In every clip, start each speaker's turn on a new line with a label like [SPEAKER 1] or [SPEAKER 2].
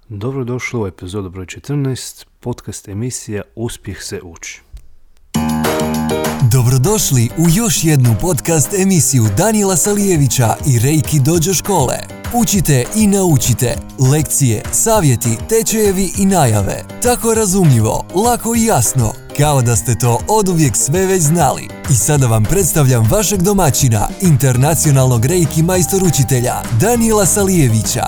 [SPEAKER 1] Dobrodošli u epizodu broj 14, podcast emisija Uspjeh se uči.
[SPEAKER 2] Dobrodošli u još jednu podcast emisiju Danijela Salijevića i Reiki Dojo škole. Učite i naučite lekcije, savjeti, tečajevi i najave. Tako razumljivo, lako i jasno, kao da ste to oduvijek sve već znali. I sada vam predstavljam vašeg domaćina, internacionalnog Reiki majstor učitelja Danijela Salijevića.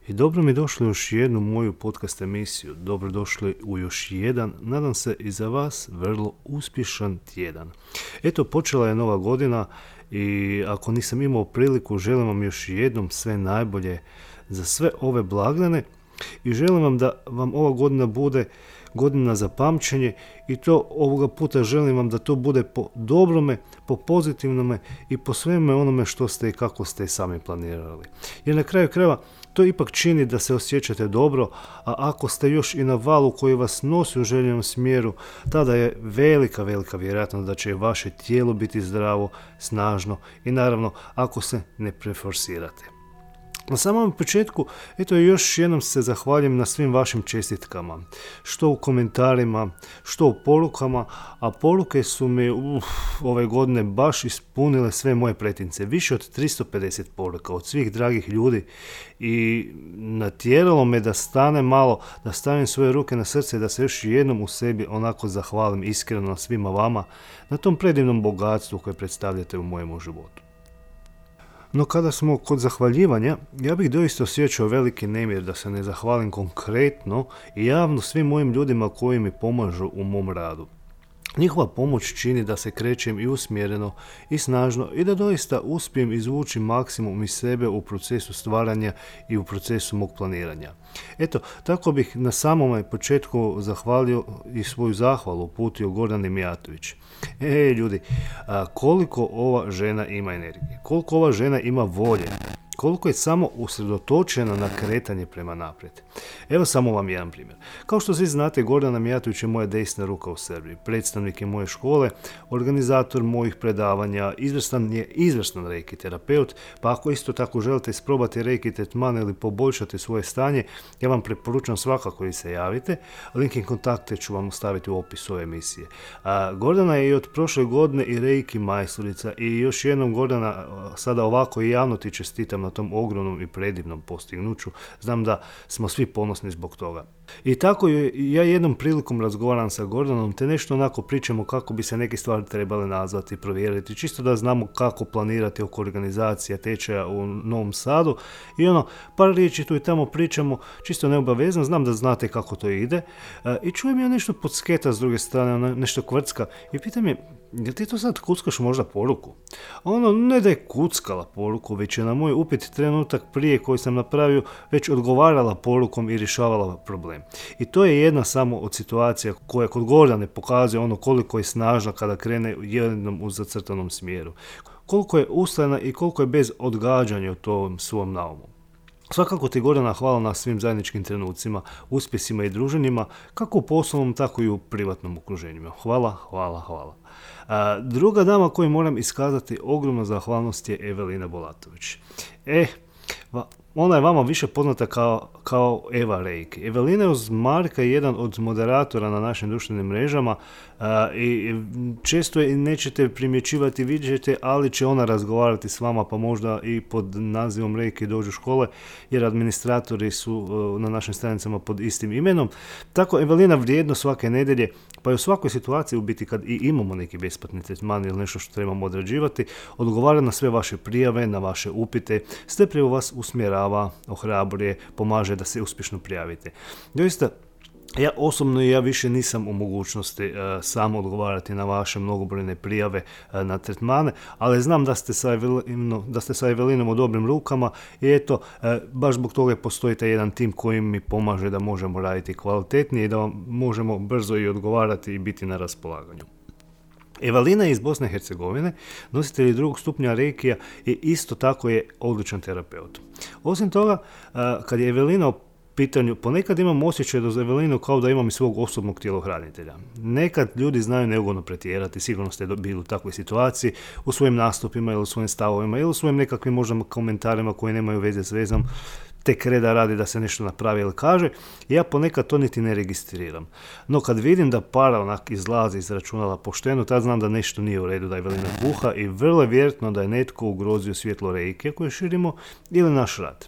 [SPEAKER 1] I dobro mi došli u još jednu moju podcast emisiju. Dobrodošli u još jedan, nadam se i za vas, vrlo uspješan tjedan. Eto, počela je nova godina i ako nisam imao priliku, želim vam još jednom sve najbolje za sve ove blagdane i želim vam da vam ova godina bude godina za pamćenje i to ovoga puta želim vam da to bude po dobrome, po pozitivnome i po sveme onome što ste i kako ste sami planirali. Jer na kraju krajeva to ipak čini da se osjećate dobro, a ako ste još i na valu koji vas nosi u željenom smjeru, tada je velika vjerojatnost da će vaše tijelo biti zdravo, snažno i naravno ako se ne preforsirate. Na samom početku, eto još jednom se zahvaljujem na svim vašim čestitkama, što u komentarima, što u porukama, a poruke su mi ove godine baš ispunile sve moje pretince, više od 350 poruka od svih dragih ljudi i natjeralo me da stane malo, da stavim svoje ruke na srce i da se još jednom u sebi onako zahvalim iskreno svima vama na tom predivnom bogatstvu koje predstavljate u mojemu životu. No kada smo kod zahvaljivanja, ja bih doista osjećao veliki nemir da se ne zahvalim konkretno i javno svim mojim ljudima koji mi pomažu u mom radu. Njihova pomoć čini da se krećem i usmjereno i snažno i da doista uspijem izvući maksimum iz sebe u procesu stvaranja i u procesu mog planiranja. Eto, tako bih na samom početku zahvalio i svoju zahvalu uputio Gordani Mijatović. Ljudi, koliko ova žena ima energije, koliko ova žena ima volje, koliko je samo usredotočena na kretanje prema naprijed. Evo samo vam jedan primjer. Kao što svi znate, Gordana Mijatović je moja desna ruka u Srbiji, predstavnik je moje škole, organizator mojih predavanja, izvrstan reiki terapeut, pa ako isto tako želite isprobati reiki tretman ili poboljšati svoje stanje, ja vam preporučam svakako da se javite. Link i kontakte ću vam ostaviti u opisu ove emisije. Gordana je i od prošle godine i reiki majstorica i još jednom Gordana, sada ovako i javno ti čestitam na tom ogromnom i predivnom postignuću. Znam da smo svi ponosni zbog toga. I tako ja jednom prilikom razgovaram sa Gordanom, te nešto onako pričamo kako bi se neke stvari trebale nazvati i provjeriti, čisto da znamo kako planirati oko organizacija tečaja u Novom Sadu i par riječi tu i tamo pričamo, čisto neobavezno, znam da znate kako to ide i čujem ja nešto podsketa s druge strane, nešto kvrcka i pitam je, jel ti to sad kuckaš možda poruku? Ne da je kuckala poruku, već je na moj upit trenutak prije koji sam napravio već odgovarala porukom i rješavala problem. I to je jedna samo od situacija koja kod Gordane pokazuje koliko je snažna kada krene jednom u zacrtanom smjeru. Koliko je ustrajna i koliko je bez odgađanja u tom svom naumu. Svakako ti Gordana hvala na svim zajedničkim trenucima, uspjesima i druženjima, kako u poslovnom, tako i u privatnom okruženju. Hvala. Druga dama koju moram iskazati ogromnu zahvalnost je Evelina Bolatović. Ona je vama više poznata kao Eva Reiki. Evelina je uz Marka jedan od moderatora na našim društvenim mrežama i često je nećete primjećivati, vidjeti, ali će ona razgovarati s vama, pa možda i pod nazivom Reiki Dojo škole, jer administratori su na našim stranicama pod istim imenom. Tako Evelina vrijedno svake nedjelje, pa i u svakoj situaciji u biti kad i imamo neki besplatni tretman ili nešto što trebamo odrađivati, odgovara na sve vaše prijave, na vaše upite, strpljivo vas usmjerava, ohrabruje, pomaže da se uspješno prijavite. Doista, ja osobno i ja više nisam u mogućnosti sam odgovarati na vaše mnogobrojne prijave na tretmane, ali znam da ste sa Evelinom u dobrim rukama i eto, baš zbog toga postoji taj jedan tim koji mi pomaže da možemo raditi kvalitetnije i da vam možemo brzo i odgovarati i biti na raspolaganju. Evelina je iz Bosne i Hercegovine, nositelj drugog stupnja reikija i isto tako je odličan terapeut. Osim toga, kad je Evelina pitanju, ponekad imam osjećaj do Evelinu kao da imam i svog osobnog tjelohranitelja. Nekad ljudi znaju neugodno pretjerati, sigurno ste bili u takvoj situaciji, u svojim nastupima ili u svojim stavovima ili u svojim nekakvim možda komentarima koji nemaju veze s vezom, tek reda radi da se nešto napravi ili kaže, ja ponekad to niti ne registriram. No kad vidim da para onak izlazi iz računala pošteno, tad znam da nešto nije u redu, da je Evelina buha i vrlo je vjerojatno da je netko ugrozio svjetlo Reikija koje širimo ili naš rad.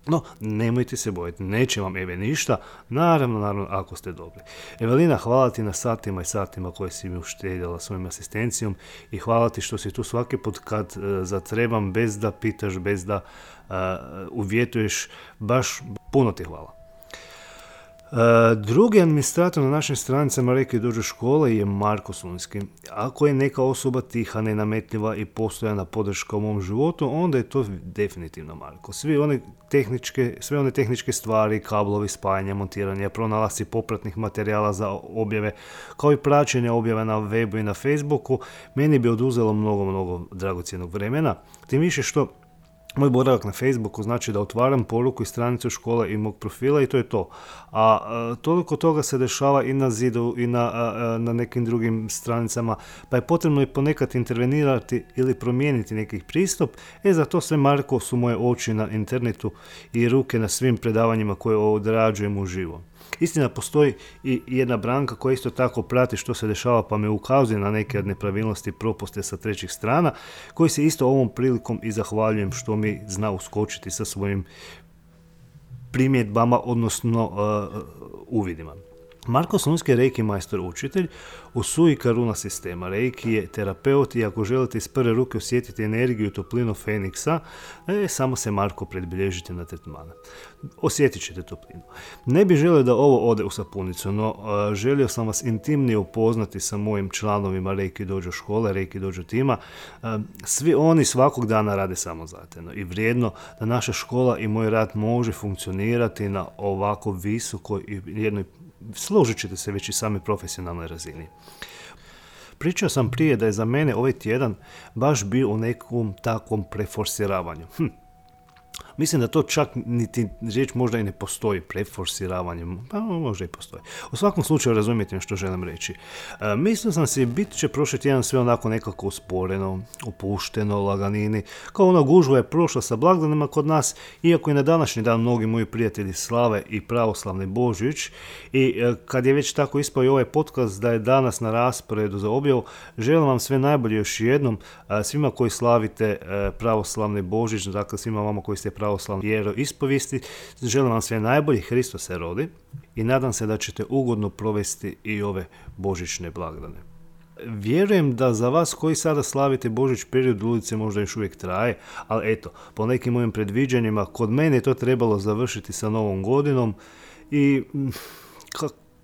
[SPEAKER 1] No, nemojte se bojati, neće vam Eve ništa, naravno, ako ste dobri. Evelina, hvala ti na satima i satima koje si mi uštedjela svojom asistencijom i hvala ti što si tu svaki put kad zatrebam, bez da pitaš, bez da uvjetuješ, baš puno ti hvala. Drugi administrator na našim stranicama Reiki Dojo škole je Marko Sunski. Ako je neka osoba tiha, nenametljiva i postojana podrška u mom životu, onda je to definitivno Marko. Sve one tehničke stvari, kablovi, spajanja, montiranja, pronalasci popratnih materijala za objave, kao i praćenje objave na webu i na Facebooku, meni bi oduzelo mnogo dragocjenog vremena. Tim više što moj boravak na Facebooku znači da otvaram poruku iz stranice škole i mog profila i to je to. A toliko toga se dešava i na zidu i na nekim drugim stranicama, pa je potrebno i ponekad intervenirati ili promijeniti neki pristup. Za to sve Marko su moje oči na internetu i ruke na svim predavanjima koje odrađujem uživo. Istina, postoji i jedna Branka koja isto tako prati što se dešava pa me ukazuje na neke od nepravilnosti i propuste sa trećih strana, koji se isto ovom prilikom i zahvaljujem što mi zna uskočiti sa svojim primjedbama, odnosno uvidima. Marko Slunski je Reiki majstor učitelj u Sui Karuna sistema. Reiki je terapeut i ako želite iz prve ruke osjetiti energiju i toplinu Feniksa, samo se Marko predbilježite na tretmana. Osjetit ćete toplinu. Ne bih želio da ovo ode u sapunicu, no želio sam vas intimnije upoznati sa mojim članovima Reiki Dojo škole, Reiki Dojo tima. Svi oni svakog dana rade samozatajno i vrijedno da naša škola i moj rad može funkcionirati na ovako visokoj i jednoj, složit ćete se, već i sami profesionalnoj razini. Pričao sam prije da je za mene ovaj tjedan baš bio u nekom takvom preforsiravanju. Mislim da to čak niti riječ možda i ne postoji, preforsiravanje, pa možda i postoji. U svakom slučaju razumijete što želim reći. Mislio sam si, bit će prošli tjedan sve onako nekako usporeno, opušteno, laganini, kao ona gužva je prošla sa blagdanima kod nas, iako i na današnji dan mnogi moji prijatelji slave i pravoslavni Božić. I kad je već tako ispao i ovaj podcast da je danas na rasporedu za objavu, želim vam sve najbolje još jednom, svima koji slavite pravoslavni Božić, dakle svima vama koji ste pravoslavni vjeroispovijesti, želim vam sve najbolje, Hristos se rodi i nadam se da ćete ugodno provesti i ove božićne blagdane. Vjerujem da za vas koji sada slavite Božić period ulice možda još uvijek traje, ali eto, po nekim mojim predviđanjima, kod mene je to trebalo završiti sa Novom godinom i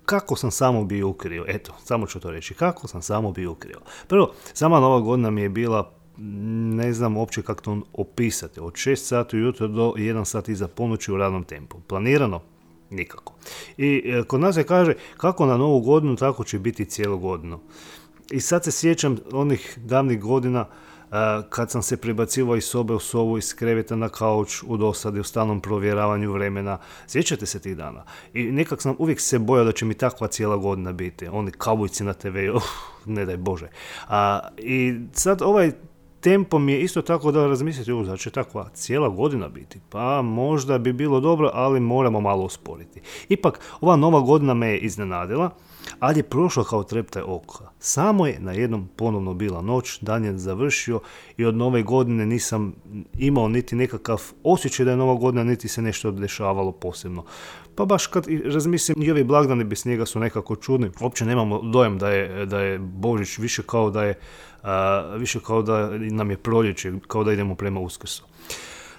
[SPEAKER 1] kako sam samo bio ukrio, eto, samo ću to reći, kako sam samo bio ukrio. Prvo, sama Nova godina mi je bila, ne znam uopće kako to opisati, od 6 sati ujutro do 1 sat iza ponoći u radnom tempu. Planirano? Nikako. I kod nas se kaže kako na Novu godinu, tako će biti cijelu godinu. I sad se sjećam onih davnih godina kad sam se prebacivao iz sobe u sobu, iz kreveta na kauč, u dosadi, u stalnom provjeravanju vremena. Sjećate se tih dana? I nekak sam uvijek se bojao da će mi takva cijela godina biti. Oni kaubojci na TV, ne daj Bože. I sad ovaj tempo mi je isto tako da razmislite, da će takva cijela godina biti. Pa možda bi bilo dobro, ali moramo malo usporiti. Ipak, ova Nova godina me je iznenadila, ali je prošla kao treptaj oka. Samo je na jednom ponovno bila noć, dan je završio i od Nove godine nisam imao niti nekakav osjećaj da je Nova godina, niti se nešto dešavalo posebno. Pa baš kad razmislim, i ovi blagdani bez njega su nekako čudni. Uopće nemamo dojam da je Božić, više kao da nam je proljeće, kao da idemo prema Uskrsu.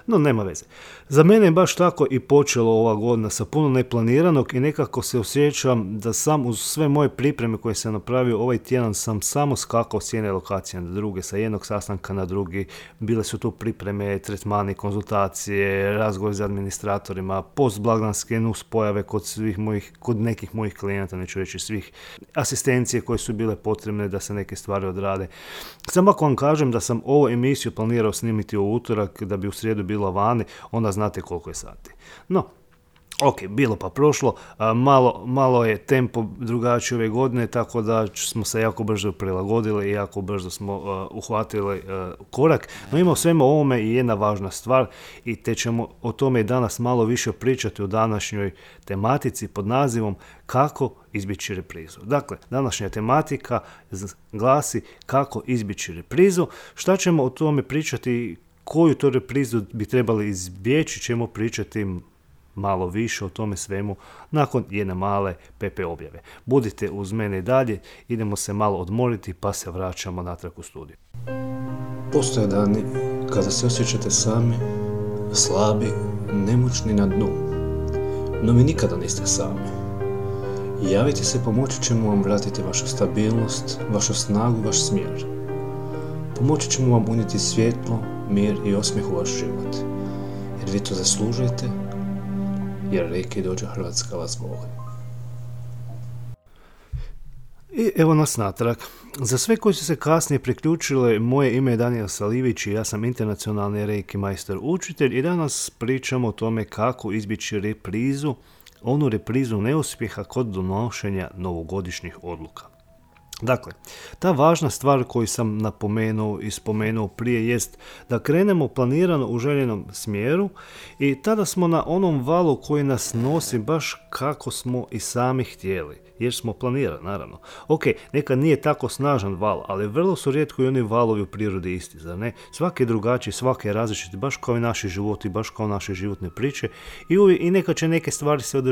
[SPEAKER 1] No, nema veze. Za mene je baš tako i počelo ova godina sa puno neplaniranog i nekako se osjećam da sam uz sve moje pripreme koje sam napravio ovaj tjedan sam samo skakao s jedne lokacije na druge, sa jednog sastanka na drugi. Bile su tu pripreme, tretmani, konzultacije, razgovor s administratorima, postblagdanske nuspojave kod nekih mojih klijenata, neću reći svih, asistencije koje su bile potrebne da se neke stvari odrade. Samo ako vam kažem da sam ovu emisiju planirao snimiti u utorak, da bi u srijedu bila vani, onda znate koliko je sati. No, Ok, bilo pa prošlo, malo je tempo drugačiji ove godine, tako da smo se jako brzo prilagodili i jako brzo smo uhvatili korak. No ima u svemu ovome i jedna važna stvar i te ćemo o tome i danas malo više pričati u današnjoj tematici pod nazivom kako izbjeći reprizu. Dakle, današnja tematika glasi kako izbjeći reprizu. Šta ćemo o tome pričati, koju to reprizu bi trebali izbjeći, ćemo pričati malo više o tome svemu nakon jedne male PP objave. Budite uz mene i dalje, idemo se malo odmoriti pa se vraćamo natrag u studiju.
[SPEAKER 3] Postoje dani kada se osjećate sami, slabi, nemoćni na dnu, no vi nikada niste sami. Javite se, pomoći ćemo vam vratiti vašu stabilnost, vašu snagu, vaš smjer. Pomoći ćemo vam unijeti svjetlo, mir i osmijeh u vaš život, jer vi to zaslužujete, jer Reiki Dojo Hrvatska vas voli.
[SPEAKER 1] I evo nas natrag. Za sve koji su se kasnije priključile, moje ime je Danijel Salijević i ja sam internacionalni Reiki majstor učitelj i danas pričamo o tome kako izbjeći reprizu, onu reprizu neuspjeha kod donošenja novogodišnjih odluka. Dakle, ta važna stvar koju sam napomenuo i spomenuo prije jest da krenemo planirano u željenom smjeru i tada smo na onom valu koji nas nosi baš kako smo i sami htjeli, jer smo planirali, naravno. Ok, nekad nije tako snažan val, ali vrlo su rijetko i oni valovi u prirodi isti, zar ne? Svaki je drugačiji, svaki je različiti, baš kao i naši životi, baš kao naše životne priče i nekad će neke stvari se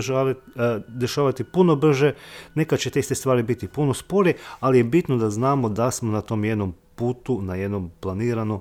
[SPEAKER 1] dešavati puno brže, nekad će te iste stvari biti puno sporije, ali je bitno da znamo da smo na tom jednom putu, na jednom planiranom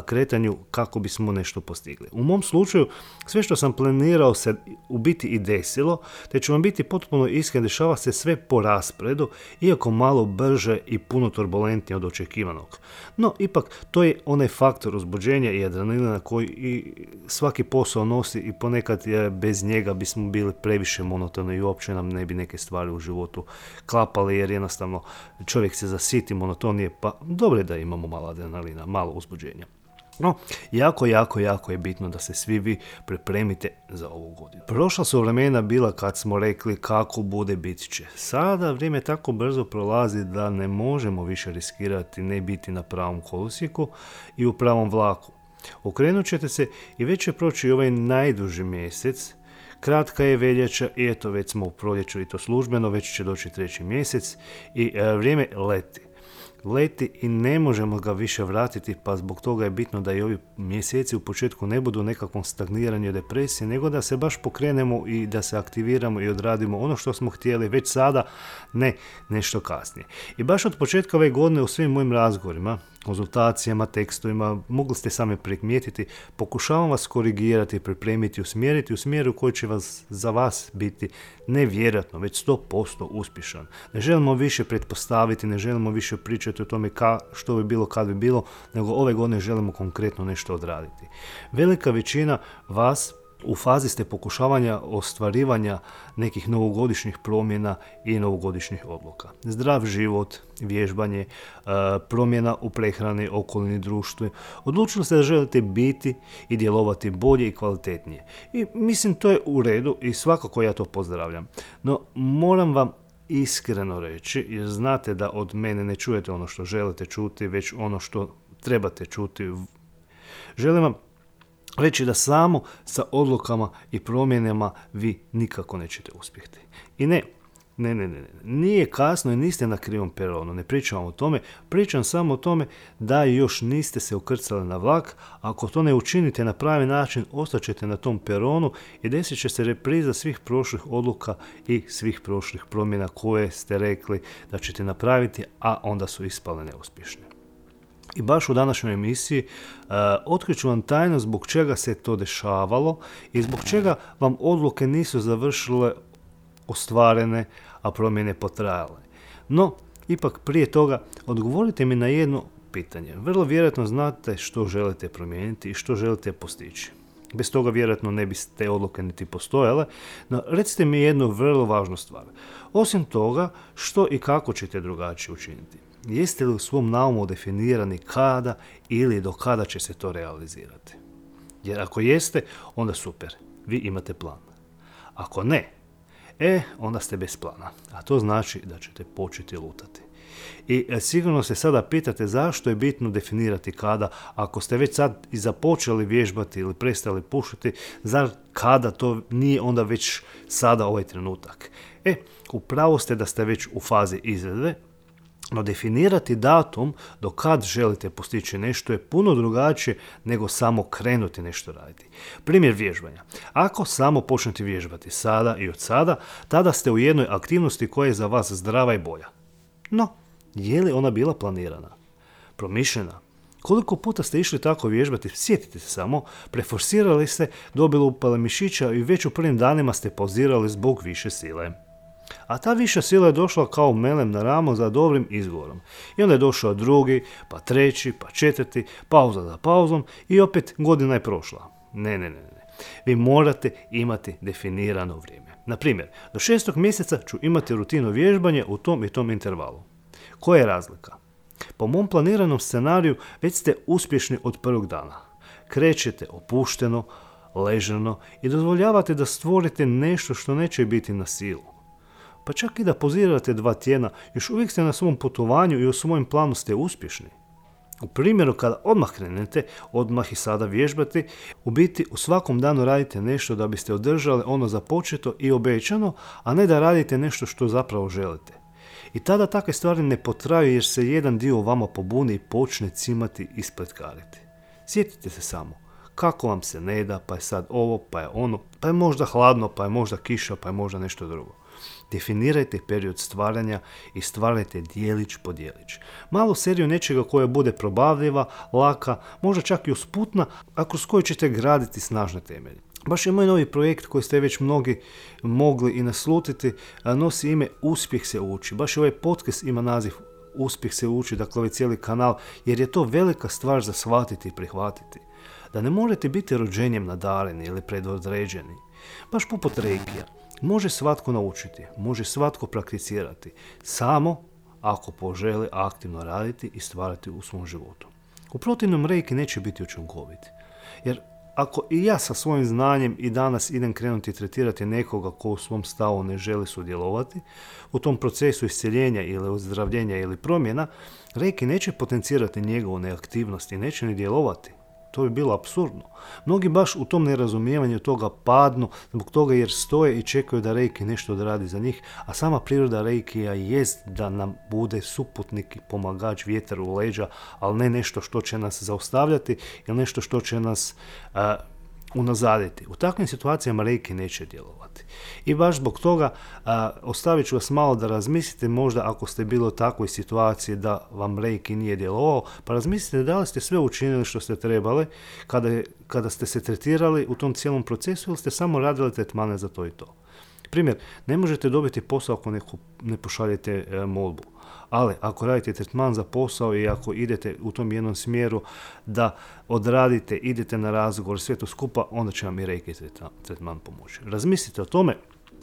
[SPEAKER 1] kretanju kako bismo nešto postigli. U mom slučaju, sve što sam planirao se u biti i desilo, te ću vam biti potpuno iskren, dešava se sve po rasporedu, iako malo brže i puno turbulentnije od očekivanog. No, ipak, to je onaj faktor uzbuđenja i adrenalina koji i svaki posao nosi i ponekad bez njega bismo bili previše monotoni i uopće nam ne bi neke stvari u životu klapale, jer jednostavno čovjek se zasiti monotonije, pa dobro je da imamo malo adrenalina, malo uzbuđenja. No, jako je bitno da se svi vi pripremite za ovu godinu. Prošla su vremena bila kad smo rekli kako bude bit će. Sada vrijeme tako brzo prolazi da ne možemo više riskirati ne biti na pravom kolosijeku i u pravom vlaku. Okrenut ćete se i već će proći ovaj najduži mjesec. Kratka je veljača i eto već smo u proljeću i to službeno, već će doći 3. mjesec i vrijeme leti i ne možemo ga više vratiti, pa zbog toga je bitno da i ovi mjeseci u početku ne budu nekakvom stagniranju i depresiji, nego da se baš pokrenemo i da se aktiviramo i odradimo ono što smo htjeli već sada, ne nešto kasnije. I baš od početka ove godine u svim mojim razgovorima, konzultacijama, tekstovima, mogli ste sami primijetiti, pokušavam vas korigirati, pripremiti, usmjeriti u smjeru koji će za vas biti nevjerojatno, već 100% uspješan. Ne želimo više pretpostaviti, ne želimo više pričati o tome što bi bilo kad bi bilo, nego ove godine želimo konkretno nešto odraditi. Velika većina vas u fazi ste pokušavanja ostvarivanja nekih novogodišnjih promjena i novogodišnjih odluka. Zdrav život, vježbanje, promjena u prehrani, okolini, društvu. Odlučili ste da želite biti i djelovati bolje i kvalitetnije. I mislim to je u redu i svakako ja to pozdravljam. No moram vam iskreno reći, jer znate da od mene ne čujete ono što želite čuti, već ono što trebate čuti. Želim vam reći da samo sa odlukama i promjenama vi nikako nećete uspjeti. I ne, nije kasno i niste na krivom peronu, ne pričam o tome, pričam samo o tome da još niste se ukrcali na vlak. Ako to ne učinite na pravi način, ostaćete na tom peronu i desit će se repriza svih prošlih odluka i svih prošlih promjena koje ste rekli da ćete napraviti, a onda su ispale neuspješne. I baš u današnjoj emisiji otkriću vam tajno zbog čega se to dešavalo i zbog čega vam odluke nisu završile ostvarene, a promjene potrajale. No, ipak prije toga odgovorite mi na jedno pitanje. Vrlo vjerojatno znate što želite promijeniti i što želite postići. Bez toga vjerojatno ne bi te odluke niti postojale, no recite mi jednu vrlo važnu stvar. Osim toga, što i kako ćete drugačije učiniti? Jeste li u svom naumu definirani kada ili do kada će se to realizirati? Jer ako jeste, onda super, vi imate plan. Ako ne, onda ste bez plana, a to znači da ćete početi lutati. I sigurno se sada pitate zašto je bitno definirati kada, ako ste već sad i započeli vježbati ili prestali pušiti, zar kada to nije onda već sada ovaj trenutak? Upravo ste da ste već u fazi izvedbe, no definirati datum do kad želite postići nešto je puno drugačije nego samo krenuti nešto raditi. Primjer vježbanja. Ako samo počnete vježbati sada i od sada, tada ste u jednoj aktivnosti koja je za vas zdrava i bolja. No, je li ona bila planirana? Promišljena? Koliko puta ste išli tako vježbati, sjetite se samo, preforsirali ste, dobili upale mišića i već u prvim danima ste pauzirali zbog više sile. A ta viša sila je došla kao melem na ramo za dobrim izgovorom. I onda je došao drugi, pa treći, pa četvrti, pauza za pauzom i opet godina je prošla. Ne. Vi morate imati definirano vrijeme. Na primjer, do 6. mjeseca ću imati rutinu vježbanja u tom i tom intervalu. Koja je razlika? Po mom planiranom scenariju već ste uspješni od prvog dana. Krećete opušteno, ležano i dozvoljavate da stvorite nešto što neće biti na silu. Pa čak i da pozirate 2 tjedna, još uvijek ste na svom putovanju i u svojem planu ste uspješni. U primjeru kada odmah krenete, odmah i sada vježbati, u biti u svakom danu radite nešto da biste održali ono započeto i obećano, a ne da radite nešto što zapravo želite. I tada takve stvari ne potraju jer se jedan dio vama pobuni i počne cimati i spletkariti. Sjetite se samo, kako vam se ne da, pa je sad ovo, pa je ono, pa je možda hladno, pa je možda kiša, pa je možda nešto drugo. Definirajte period stvaranja i stvarajte dijelić po dijelić. Malu seriju nečega koja bude probavljiva, laka, možda čak i usputna, a kroz koju ćete graditi snažne temelje. Baš je moj novi projekt koji ste već mnogi mogli i naslutiti, nosi ime Uspjeh se uči. Baš ovaj podcast ima naziv Uspjeh se uči, dakle ovaj cijeli kanal, jer je to velika stvar za shvatiti i prihvatiti. Da ne morate biti rođenjem nadareni ili predodređeni. Baš poput reikija. Može svatko naučiti, može svatko prakticirati, samo ako poželi aktivno raditi i stvarati u svom životu. U protivnom reiki neće biti učinkovit. Jer ako i ja sa svojim znanjem i danas idem krenuti tretirati nekoga ko u svom stavu ne želi sudjelovati, u tom procesu isceljenja ili ozdravljenja ili promjena, reiki neće potencirati njegovu neaktivnost i neće ni djelovati. To bi bilo apsurdno. Mnogi baš u tom nerazumijevanju toga padnu zbog toga jer stoje i čekaju da reiki nešto odradi za njih, a sama priroda reikija jest da nam bude suputnik i pomagač, vjetar u leđa, ali ne nešto što će nas zaustavljati ili nešto što će nas unazaditi. U takvim situacijama reiki neće djelovati. I baš zbog toga ostavit ću vas malo da razmislite, možda ako ste bili u takvoj situaciji da vam reiki nije djelovao, pa razmislite da li ste sve učinili što ste trebali kada ste se tretirali u tom cijelom procesu ili ste samo radili tretmane za to i to. Primjer, ne možete dobiti posao ako ne pošaljete molbu. Ali ako radite tretman za posao i ako idete u tom jednom smjeru da odradite, idete na razgovor, sve to skupa, onda će vam i reiki tretman pomoći. Razmislite o tome.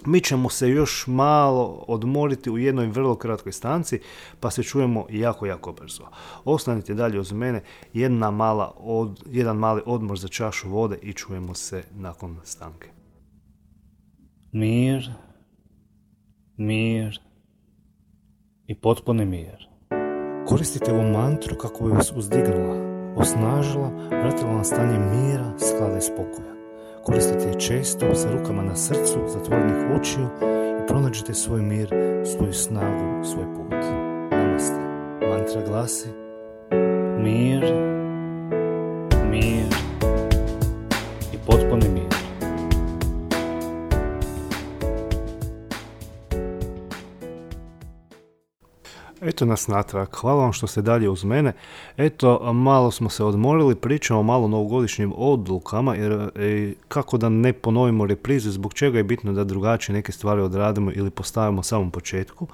[SPEAKER 1] Mi ćemo se još malo odmoriti u jednoj vrlo kratkoj stanci, pa se čujemo jako brzo. Ostanite dalje uz mene, jedan mali odmor za čašu vode i čujemo se nakon stanke.
[SPEAKER 4] Mir i potpuni mir. Koristite ovu mantru kako bi vas uzdignula, osnažila, vratila na stanje mira, sklada i spokoja. Koristite je često sa rukama na srcu, zatvorenih očiju i pronađite svoj mir, svoju snagu, svoj put. Namaste. Mantra glasi: mir i potpuni mir.
[SPEAKER 1] Eto nas natrag, hvala vam što ste dalje uz mene. Eto, malo smo se odmorili, pričamo malo o novogodišnjim odlukama, jer kako da ne ponovimo reprize, zbog čega je bitno da drugačije neke stvari odradimo ili postavimo u samom početku.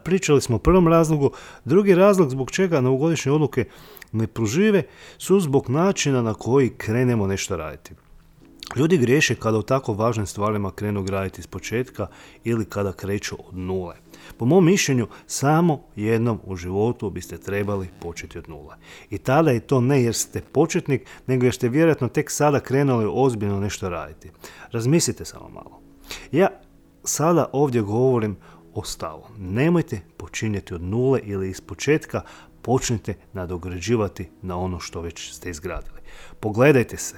[SPEAKER 1] Pričali smo o prvom razlogu, drugi razlog zbog čega novogodišnje odluke ne prožive su zbog načina na koji krenemo nešto raditi. Ljudi griješe kada u tako važnim stvarima krenu graditi iz početka ili kada kreću od nule. Po mom mišljenju, samo jednom u životu biste trebali početi od nule. I tada je to ne jer ste početnik, nego jer ste vjerojatno tek sada krenuli ozbiljno nešto raditi. Razmislite samo malo. Ja sada ovdje govorim o stavu. Nemojte počinjati od nule ili iz početka, počnite nadograđivati na ono što već ste izgradili. Pogledajte se,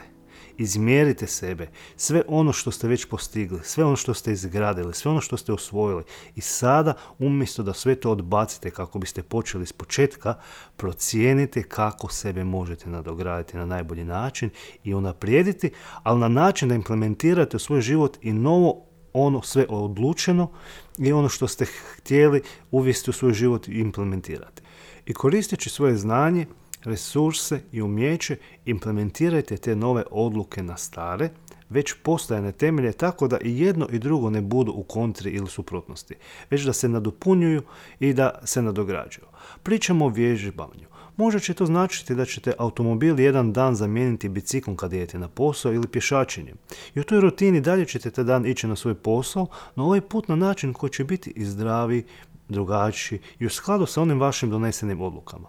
[SPEAKER 1] izmjerite sebe, sve ono što ste već postigli, sve ono što ste izgradili, sve ono što ste osvojili i sada umjesto da sve to odbacite kako biste počeli s početka, procijenite kako sebe možete nadograditi na najbolji način i unaprijediti, ali na način da implementirate u svoj život i novo ono sve odlučeno i ono što ste htjeli uvesti u svoj život i implementirati. I koristeći svoje znanje, resurse i umijeće, implementirajte te nove odluke na stare, već postojane temelje tako da i jedno i drugo ne budu u kontri ili suprotnosti, već da se nadopunjuju i da se nadograđuju. Pričamo o vježbanju. Možda će to značiti da ćete automobil jedan dan zamijeniti biciklom kad idete na posao ili pješačenjem. I u toj rutini dalje ćete taj dan ići na svoj posao, no ovaj put na način koji će biti i zdraviji, drugačiji i u skladu sa onim vašim donesenim odlukama.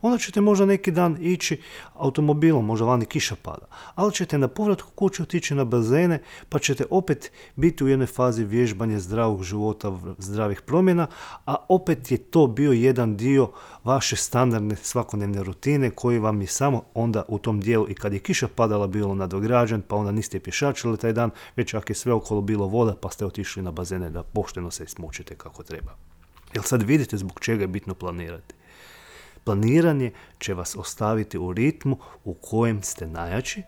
[SPEAKER 1] Onda ćete možda neki dan ići automobilom, možda vani kiša pada, ali ćete na povratku kući otići na bazene, pa ćete opet biti u jednoj fazi vježbanja zdravog života, zdravih promjena, a opet je to bio jedan dio vaše standardne svakodnevne rutine koji vam je samo onda u tom dijelu i kad je kiša padala bilo nadograđen, pa onda niste pješačili taj dan, već ako je sve okolo bilo voda, pa ste otišli na bazene da pošteno se smučite kako treba. Jel sad vidite zbog čega je bitno planirati? Planiranje će vas ostaviti u ritmu u kojem ste najjači,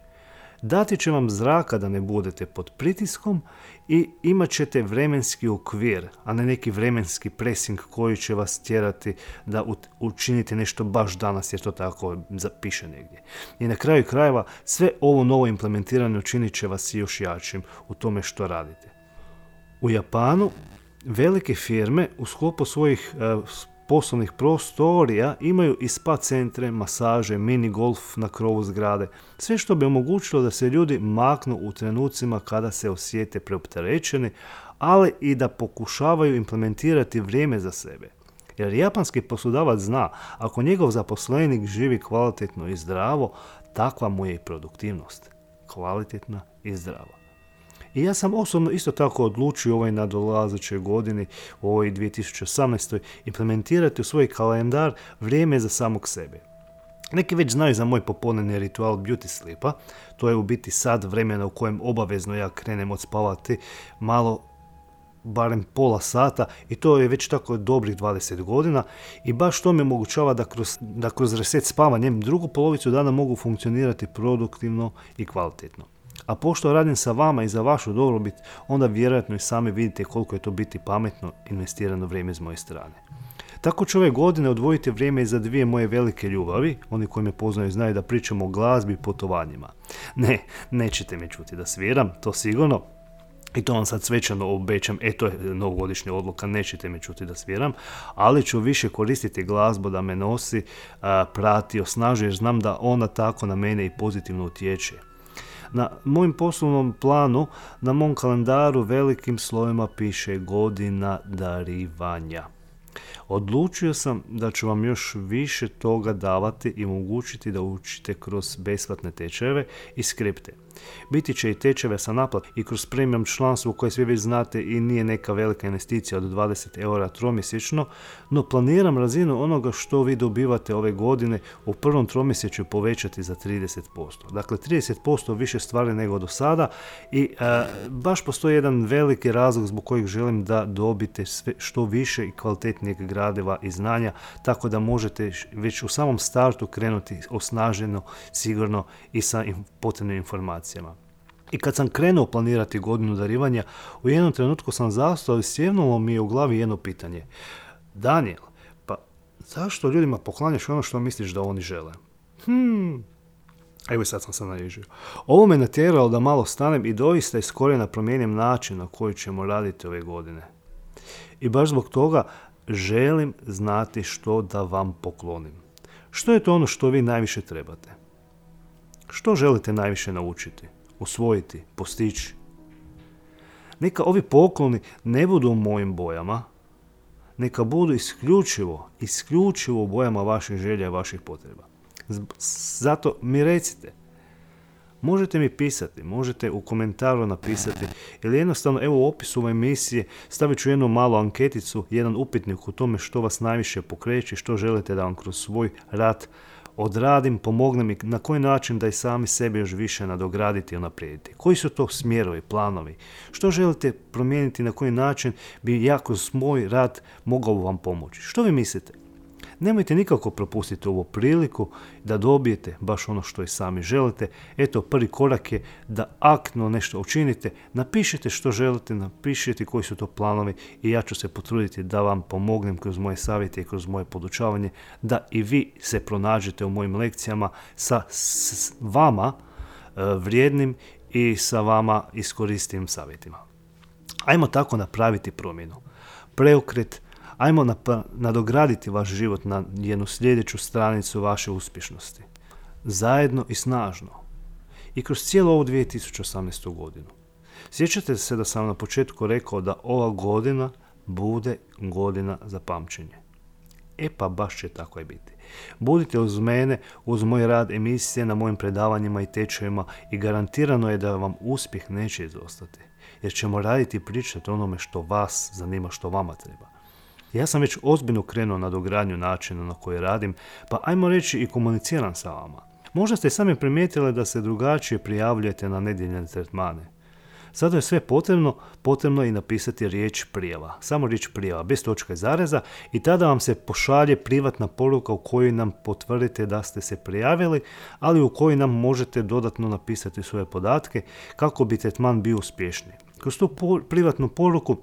[SPEAKER 1] dati će vam zraka da ne budete pod pritiskom i imat ćete vremenski okvir, a ne neki vremenski pressing koji će vas tjerati da učinite nešto baš danas jer to tako zapiše negdje. I na kraju krajeva sve ovo novo implementiranje učinit će vas još jačim u tome što radite. U Japanu velike firme u sklopu svojih poslovnih prostorija imaju i spa centre, masaže, mini golf na krovu zgrade. Sve što bi omogućilo da se ljudi maknu u trenucima kada se osjete preopterećeni, ali i da pokušavaju implementirati vrijeme za sebe. Jer japanski poslodavac zna, ako njegov zaposlenik živi kvalitetno i zdravo, takva mu je i produktivnost. Kvalitetna i zdrava. I ja sam osobno isto tako odlučio u ovoj nadolazećoj godini, u ovoj 2018. implementirati u svoj kalendar vrijeme za samog sebe. Neki već znaju za moj popodnevni ritual beauty sleepa, to je u biti sat vremena u kojem obavezno ja krenem odspavati malo, barem pola sata i to je već tako dobrih 20 godina i baš to mi omogućava da kroz reset spavanjem drugu polovicu dana mogu funkcionirati produktivno i kvalitetno. A pošto radim sa vama i za vašu dobrobit, onda vjerojatno i sami vidite koliko je to biti pametno investirano vrijeme s moje strane. Tako ću ove godine odvojiti vrijeme i za dvije moje velike ljubavi, oni koji me poznaju znaju da pričamo o glazbi i putovanjima. Ne, nećete me čuti da sviram, to sigurno. I to vam sad svečano obećam, to je novogodišnja odluka, nećete me čuti da sviram, ali ću više koristiti glazbu da me nosi, prati, osnažuje, jer znam da ona tako na mene i pozitivno utječe. Na mojem poslovnom planu, na mom kalendaru velikim slovima piše godina darivanja. Odlučio sam da ću vam još više toga davati i omogućiti da učite kroz besplatne tečajeve i skripte. Biti će i tečajeve sa naplat i kroz premium članstvo koje svi već znate i nije neka velika investicija od 20 eura tromjesečno, no planiram razinu onoga što vi dobivate ove godine u prvom tromjesečju povećati za 30%. Dakle, 30% više stvari nego do sada i baš postoji jedan veliki razlog zbog kojeg želim da dobite sve što više i kvalitetnijeg gradiva i znanja, tako da možete već u samom startu krenuti osnaženo, sigurno i sa potrebnim informacijama. I kad sam krenuo planirati godinu darivanja, u jednom trenutku sam zastao i sjevnulo mi je u glavi jedno pitanje. Daniel, pa zašto ljudima poklanjaš ono što misliš da oni žele? Evo sad sam se naježio. Ovo me natjeralo da malo stanem i doista iz korijena promijenim način na koji ćemo raditi ove godine. I baš zbog toga želim znati što da vam poklonim. Što je to ono što vi najviše trebate? Što želite najviše naučiti, usvojiti, postići? Neka ovi pokloni ne budu u mojim bojama, neka budu isključivo u bojama vaših želja i vaših potreba. Zato mi recite, Možete mi pisati, možete u komentaru napisati ili jednostavno evo u opisu ove emisije stavit ću jednu malu anketicu, jedan upitnik u tome što vas najviše pokreće, što želite da vam kroz svoj rad odradim, pomognem i na koji način da i sami sebe još više nadograditi i unaprijediti. Koji su to smjerovi, planovi? Što želite promijeniti, na koji način bi ja kroz moj rad mogao vam pomoći? Što vi mislite? Nemojte nikako propustiti ovu priliku da dobijete baš ono što i sami želite. Eto, prvi korak je da aktno nešto učinite, napišite što želite, napišite koji su to planovi i ja ću se potruditi da vam pomognem kroz moje savjete i kroz moje podučavanje, da i vi se pronađete u mojim lekcijama sa vama vrijednim i sa vama iskoristivim savjetima. Ajmo tako napraviti promjenu, preokret. Ajmo nadograditi vaš život na jednu sljedeću stranicu vaše uspješnosti. Zajedno i snažno. I kroz cijelu ovu 2018. godinu. Sjećate se da sam na početku rekao da ova godina bude godina za pamćenje. Pa baš će tako i biti. Budite uz mene, uz moj rad emisije, na mojim predavanjima i tečajima i garantirano je da vam uspjeh neće izostati. Jer ćemo raditi i pričati o onome što vas zanima, što vama treba. Ja sam već ozbiljno krenuo na dogradnju načina na koji radim, pa ajmo reći i komuniciram sa vama. Možda ste sami primijetili da se drugačije prijavljujete na nedjeljne tretmane. Sada je sve potrebno je i napisati riječ prijava. Samo riječ prijava, bez točka i zareza i tada vam se pošalje privatna poruka u kojoj nam potvrdite da ste se prijavili, ali u kojoj nam možete dodatno napisati svoje podatke kako bi tretman bio uspješniji. Kroz tu privatnu poruku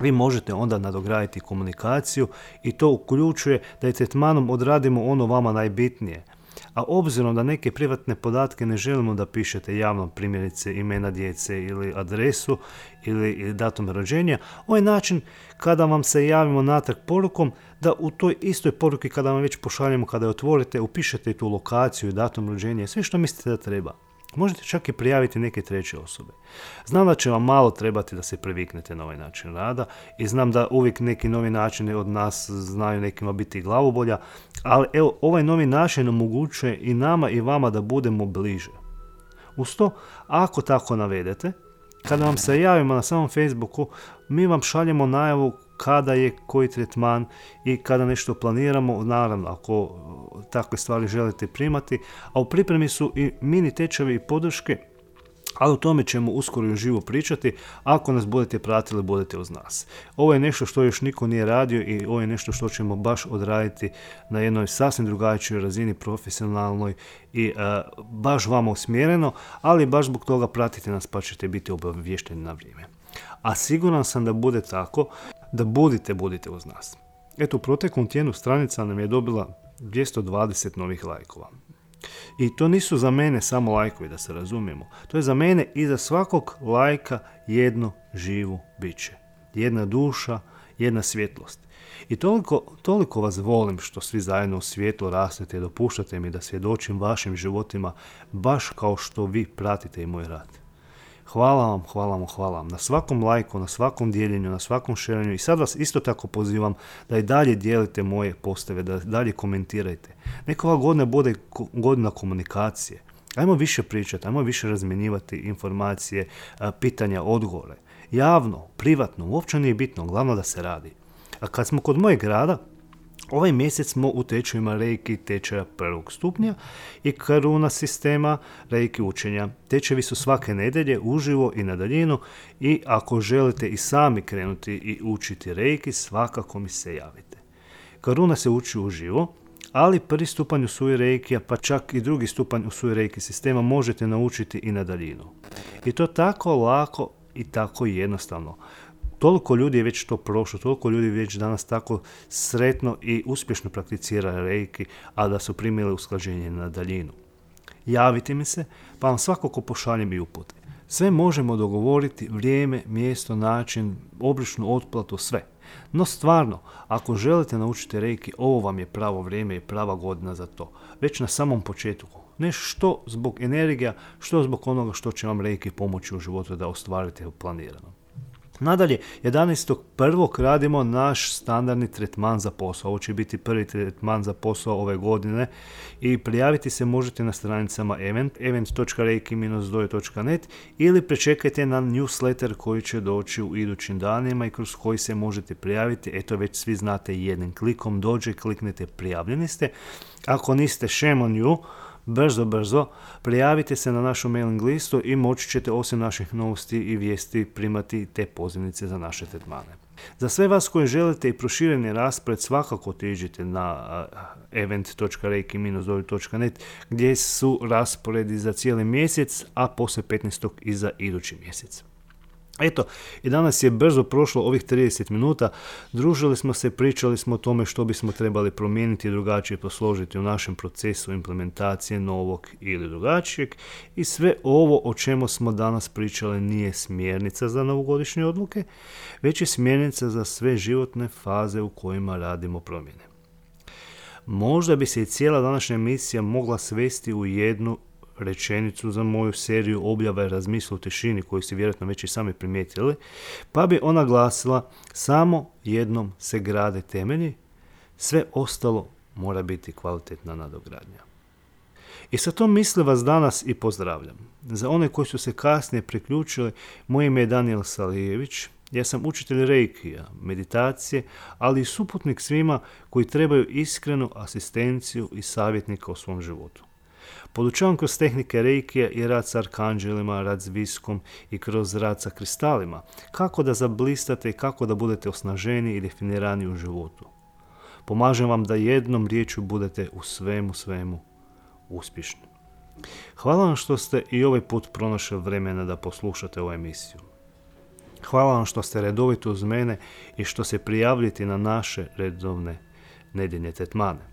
[SPEAKER 1] vi možete onda nadograditi komunikaciju i to uključuje da i tretmanom odradimo ono vama najbitnije. A obzirom da neke privatne podatke ne želimo da pišete javno, primjerice imena djece ili adresu ili datum rođenja, ovaj način kada vam se javimo natrag porukom, da u toj istoj poruki kada vam već pošaljemo, kada je otvorite, upišete tu lokaciju i datum rođenja, sve što mislite da treba. Možete čak i prijaviti neke treće osobe. Znam da će vam malo trebati da se priviknete na ovaj način rada i znam da uvijek neki novi načini od nas znaju nekima biti glavobolja, ali evo, ovaj novi način omogućuje i nama i vama da budemo bliže. Uz to, ako tako navedete, kada vam se javimo na samom Facebooku, mi vam šaljemo najavu kada je koji tretman i kada nešto planiramo, naravno ako takve stvari želite primati, a u pripremi su i mini tečajevi i podrške, ali o tome ćemo uskoro i uživo pričati. Ako nas budete pratili, budete uz nas. Ovo je nešto što još niko nije radio i ovo je nešto što ćemo baš odraditi na jednoj sasvim drugačijoj razini, profesionalnoj i baš vama usmjereno, ali baš zbog toga pratite nas pa ćete biti obavješteni na vrijeme. A siguran sam da bude tako, da budite uz nas. Eto, u proteklom tjednu stranica nam je dobila 220 novih lajkova. I to nisu za mene samo lajkovi, da se razumijemo. To je za mene i za svakog lajka jedno živo biće. Jedna duša, jedna svjetlost. I toliko vas volim što svi zajedno u svijetlu rastete i dopuštate mi da svjedočim vašim životima baš kao što vi pratite i moj rad. Hvala vam na svakom lajku, na svakom dijeljenju, na svakom šeranju i sad vas isto tako pozivam da i dalje dijelite moje postave, da dalje komentirajte. Neka ova godina bude godina komunikacije. Ajmo više pričati, ajmo više razmjenjivati informacije, pitanja, odgovore. Javno, privatno, uopće nije bitno, glavno da se radi. A kad smo kod mojeg rada, ovaj mjesec smo u tečajima Reiki tečaja prvog stupnja i Karuna sistema Reiki učenja. Tečajevi su svake nedjelje uživo i na daljinu i ako želite i sami krenuti i učiti Reiki, svakako mi se javite. Karuna se uči uživo, ali prvi stupanj Usui Reikija, pa čak i drugi stupanj Usui Reiki sistema možete naučiti i na daljinu. I to tako lako i tako jednostavno. Toliko ljudi je već to prošlo, toliko ljudi već danas tako sretno i uspješno prakticira Reiki, a da su primili usklađenje na daljinu. Javite mi se, pa vam svakako pošaljem i upute. Sve možemo dogovoriti, vrijeme, mjesto, način, obričnu otplatu, sve. No stvarno, ako želite naučiti Reiki, ovo vam je pravo vrijeme i prava godina za to. Već na samom početku. Ne što zbog energija, što zbog onoga što će vam Reiki pomoći u životu da ostvarite planirano. Nadalje, 11.1. radimo naš standardni tretman za posao. Ovo će biti prvi tretman za posao ove godine i prijaviti se možete na stranicama event.reiki-dojo.net ili prečekajte na newsletter koji će doći u idućim danima i kroz koji se možete prijaviti. Eto, već svi znate, jednim klikom dođe, kliknete prijavljeni ste. Ako niste, shame on you, brzo, prijavite se na našu mailing listu i moći ćete osim naših novosti i vijesti primati te pozivnice za naše tretmane. Za sve vas koji želite i prošireni raspored, svakako otiđite na event.reiki-dojo.net gdje su rasporedi za cijeli mjesec, a poslije 15. i za idući mjesec. Eto, i danas je brzo prošlo ovih 30 minuta, družili smo se, pričali smo o tome što bismo trebali promijeniti i drugačije posložiti u našem procesu implementacije novog ili drugačijeg i sve ovo o čemu smo danas pričali nije smjernica za novogodišnje odluke, već je smjernica za sve životne faze u kojima radimo promjene. Možda bi se i cijela današnja emisija mogla svesti u jednu rečenicu za moju seriju objava i razmisla u tišini koju ste vjerojatno već i sami primijetili, pa bi ona glasila: samo jednom se grade temelji, sve ostalo mora biti kvalitetna nadogradnja. I sa tom misli vas danas i pozdravljam. Za one koji su se kasnije priključili, moje ime je Danijel Salijević, ja sam učitelj reikija, meditacije, ali i suputnik svima koji trebaju iskrenu asistenciju i savjetnika u svom životu. Podučavam kroz tehnike reikija i rad s arkanđelima, rad s viskom i kroz rad sa kristalima, kako da zablistate i kako da budete osnaženi i definirani u životu. Pomažem vam da jednom riječju budete u svemu uspješni. Hvala vam što ste i ovaj put pronašli vremena da poslušate ovu emisiju. Hvala vam što ste redovito uz mene i što se prijavljate na naše redovne nedjeljne tretmane.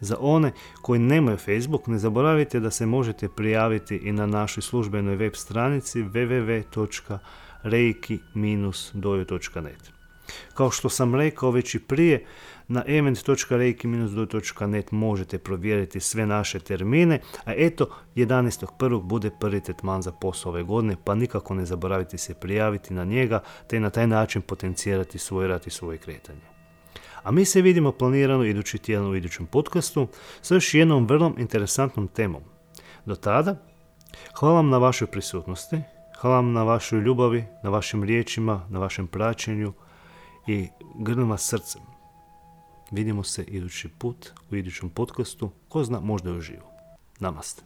[SPEAKER 1] Za one koji nemaju Facebook, ne zaboravite da se možete prijaviti i na našoj službenoj web stranici www.reiki-dojo.net. Kao što sam rekao već i prije, na event.reiki-dojo.net možete provjeriti sve naše termine, a eto, 11.1. bude prvi tretman za posao ove godine, pa nikako ne zaboravite se prijaviti na njega, te na taj način potencirati svoj rad i svoje kretanje. A mi se vidimo planirano idući tjedan u idućem podcastu sa još jednom vrlo interesantnom temom. Do tada, hvala vam na vašoj prisutnosti, hvala vam na vašoj ljubavi, na vašim riječima, na vašem praćenju i grlim vas srcem. Vidimo se idući put u idućem podcastu, ko zna, možda i uživo. Namaste.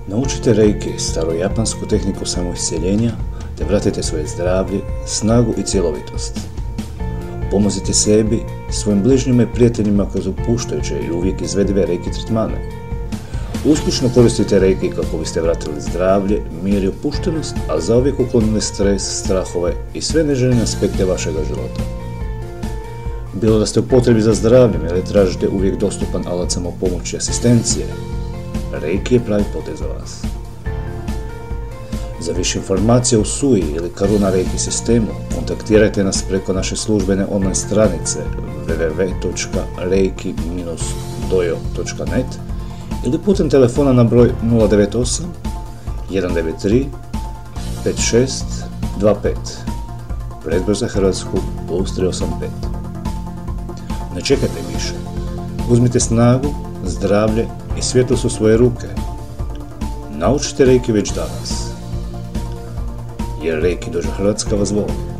[SPEAKER 3] Naučite reiki, starojapansku tehniku samoiscjeljenja, te vratite svoje zdravlje, snagu i cjelovitost. Pomozite sebi, svojim bližnjima i prijateljima kroz opuštajuće i uvijek izvedive reiki tretmane. Uspješno koristite reiki kako biste vratili zdravlje, mir i opuštenost, a zauvijek uklonili stres, strahove i sve neželjene aspekte vašega života. Bilo da ste u potrebi za zdravljem ili tražite uvijek dostupan alat samopomoći i asistencije, reiki je pravi potez za vas. Za više informacija o SUI ili Karuna Reiki sistemu kontaktirajte nas preko naše službene online stranice www.reiki-dojo.net ili putem telefona na broj 098 193 5625, predbroj za Hrvatsku +385. Ne čekajte više. Uzmite snagu, zdravlje i svjetlost u svoje ruke. Naučite reiki već danas. Jer Reiki Dojo Hrvatska vas voli.